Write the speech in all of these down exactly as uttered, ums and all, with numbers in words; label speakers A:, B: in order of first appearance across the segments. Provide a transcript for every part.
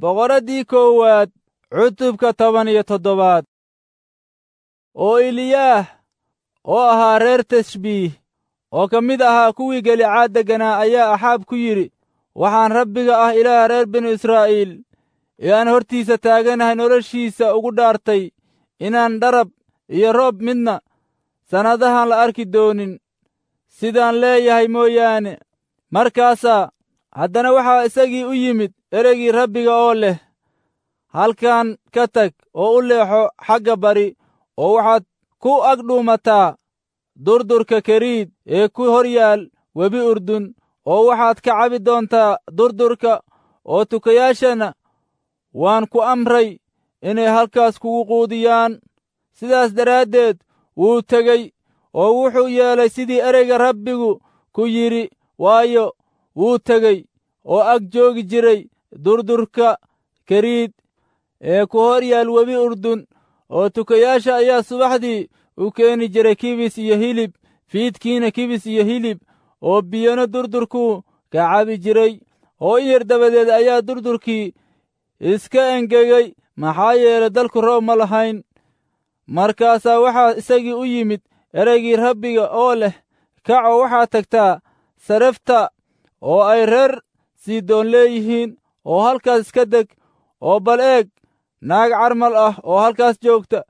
A: Boqoraddii koowaad cutubka toban iyo toddobaad. Oo Eliyaah oo ahaa reer Tishbiih oo ka mid ahaa kuwii Galicaad degganaa ayaa Axaab ku yidhi, waxaan Rabbiga ah Ilaah reer binu Israa'iil ee aan hortiisa taaganahay noloshiisa ugu dhaartay inaan dharab iyo roob midna sannadahan la arki doonin, sidaan leeyahay mooyaane. Markaasaa haddana waxaa isagii u yimid ereygii Rabbiga oo leh, halkan ka tag oo u leexo xagga bari, oo waxaad ku agdhuumataa durdurka Keriid ee ku hor yaal webi Urdun, oo waxaad ka cabi doontaa durdurka, oo tukayaashana waan ku amray inay halkaas kugu quudiyaan. Sidaas daraaddeed wuu tegey oo wuxuu yeelay sidii ereyga Rabbigu ku yidhi, waayo, wuu tegey oo ag joogi jiray durdurka Keriid ee ku hor yaal webi Urdun, oo tukayaasha ayaa subaxdii u keeni jiray kibis iyo hilib, fiidkiina kibis iyo hilib, oo biyona durdurkuu ka cabi jiray. Oo in yar dabadeed ayaa durdurkii iska engegay, maxaa yeelay dalku roob ma lahayn. Markaasaa waxaa isagii u yimid ereygii Rabbiga oo leh, kac oo waxaad tagtaa Sarefta oo ay reer Sidoon leeyihiin, oo halkaas iska deg, oo bal eeg naag carmal ah oo halkaas joogta.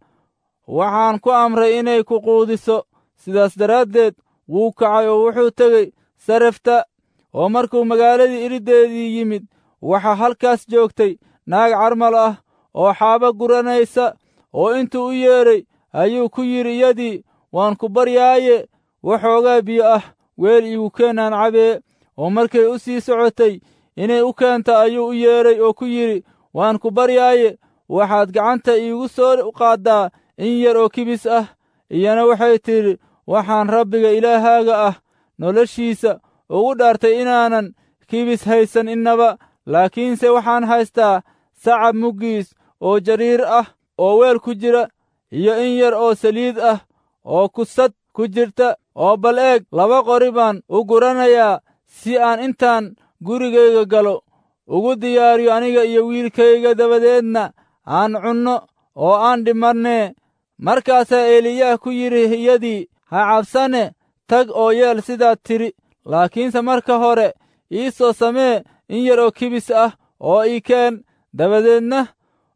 A: Waxaan ku amray inay ku quudiso. Sidaas daraaddeed wuu kacay oo wuxuu tegey Sarefta, oo markuu magaaladii iriddeedii yimid, waxaa halkaas joogtay naag carmal ah oo xaabo guranaysa, oo intuu u yeedhay ayuu ku yidhi iyadii, waan ku baryaaye, waxoogaa biyo ah weel iigu keen aan cabee. Oo markay u sii socotay inay u keento ayuu u yeedhay oo ku yidhi, waan ku baryaaye, waxaad gacanta iigu soo qaaddaa in yar oo kibis ah. Iyana waxay tidhi, waxaan Rabbiga Ilaahaaga ah noloshiisa ugu dhaartay inaanan kibis haysan innaba, laakiinse waxaan haystaa sacab muggiis oo jariir ah oo weel ku jira, iyo in yar oo saliid ah oo kusad ku jirta, oo bal eeg laba qori baan u guranayaa si aan intaan gurigayga galo ugu diyaariyo aniga iyo wiilkayga, dabadeedna aan cunno oo aan dhimannee. Markaasaa Eliyaah ku yidhi iyadii, ha cabsane, tag oo yeel sidaad tidhi, laakiinse marka hore ii soo samee in yar oo kibis ah oo ii keen, dabadeedna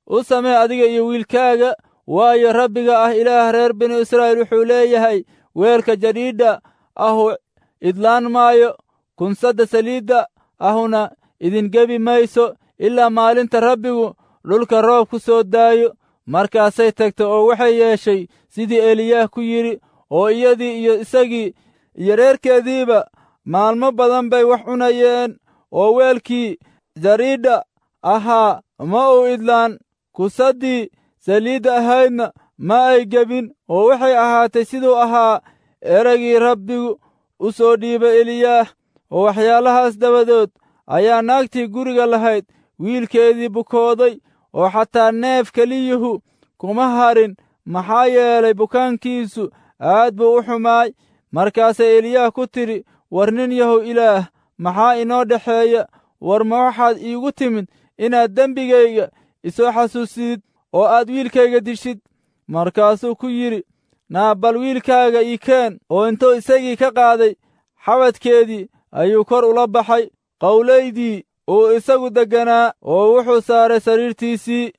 A: u samee adiga iyo wiilkaaga. Waayo, Rabbiga ah Ilaah reer binu Israa'iil wuxuu leeyahay, weelka jadhiidha ahu idlaan maayo, kunsadda saliidda ahuna idin gebi mayso, ilaa maalinta Rabbigu dhulka roob ku soo daayo. Markaasay tagtay oo waxay yeeshay sidii Eliyaah ku yidhi, oo iyadii iyo isagii iyo reerkeediiba maalmo badan bay wax cunayeen, oo weelkii jariidha ahaa ma uu idlaan, kusaddii saliidda ahaydna ma ay gebin. Oo waxay ahaatay siduu ahaa ereygii Rabbigu u soo dhiibay Eliyaah. Oo waxyaalahaas dabadood ayaa naagtii guriga lahayd wiilkeedii bukooday, oo xataa neef keliyuhu kuma harin, maxaa yeelay bukaankiisu aad buu u xumaay. Markaasay Eliyaah ku tidhi, war nin yahow Ilaah, maxaa inoo dhexeeya? War ma waxaad iigu timid inaad dembigayga isoo xasuusidid oo aad wiilkayga dishid? Markaasuu ku yidhi, naa bal wiilkaaga ii keen. Oo intuu isagii ka qaaday xabadkeedii ayuu kor ula baxay qowlaydii uu isagu degganaa, oo wuxuu saaray sariirtiisii.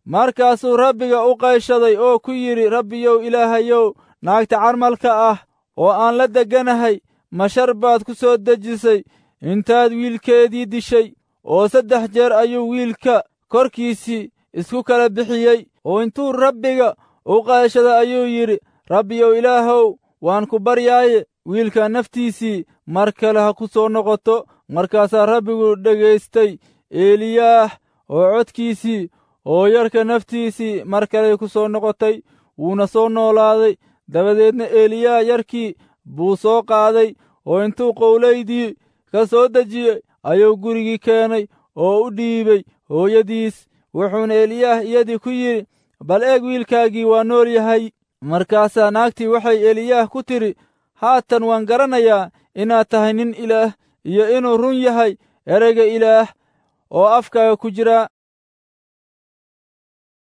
A: Markaasuu Rabbiga u qayshaday oo ku yidhi, Rabbiyow Ilaahayow, naagta carmalka ah oo aan la degganahay ma shar baad ku soo dejisay intaad wiilkeedii dishay? Oo saddex jeer ayuu wiilka korkiisii isku kala bixiyey. Oo intuu Rabbiga u qayshaday ayuu yidhi, Rabbiyow Ilaahow, waan ku baryaaye, wiilka naftiisii mar kale ha ku soo noqoto. Markaasaa Rabbigu dhegaystay Eliyaah oo codkiisii, oo yarka naftiisii mar kale ku soo noqotay, wuuna soo noolaaday. Dabadeedna Eliyaah yarkii buu soo qaaday, oo intuu qowlaydii ka soo dejiyey ayuu gurigii keenay oo u dhiibay hooyadiis. Wuxuuna Eliyaah iyadii ku yidhi, bal eeg, wiilkaagii waa nool yahay. Markaasaa naagtii waxay Eliyaah ku tidhi, haatan waan garanayaa inaad tahay nin Ilaah, iyo inuu run yahay ereyga Ilaah oo afkaaga ku jira.